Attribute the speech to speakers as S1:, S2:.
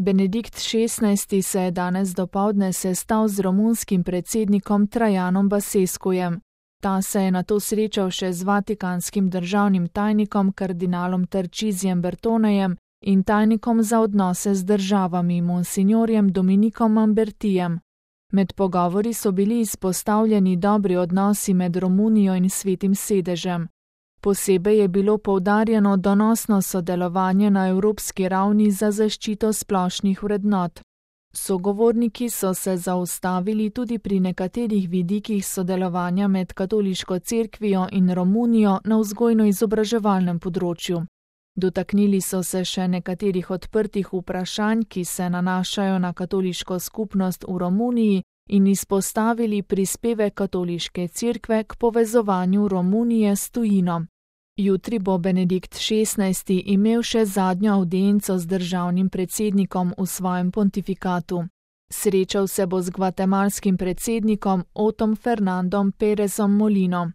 S1: Benedikt XVI. Se je danes dopoldne sestal z romunskim predsednikom Trajanom Basescujem. Ta se je nato srečal še z vatikanskim državnim tajnikom kardinalom Tarcisijem Bertonejem in tajnikom za odnose z državami monsignorjem Dominikom Mambertijem. Med pogovori so bili izpostavljeni dobri odnosi med Romunijo in Svetim sedežem. Posebej je bilo poudarjeno donosno sodelovanje na evropski ravni za zaščito splošnih vrednot. Sogovorniki so se zaustavili tudi pri nekaterih vidikih sodelovanja med katoliško cerkvijo in Romunijo na vzgojno-izobraževalnem področju. Dotaknili so se še nekaterih odprtih vprašanj, ki se nanašajo na katoliško skupnost v Romuniji in izpostavili prispevek katoliške cerkve k povezovanju Romunije s tujino. Jutri bo Benedikt XVI. Imel še zadnjo avdienco z državnim predsednikom v svojem pontifikatu. Srečal se bo z gvatemalskim predsednikom Otom Fernandom Pérezom Molino.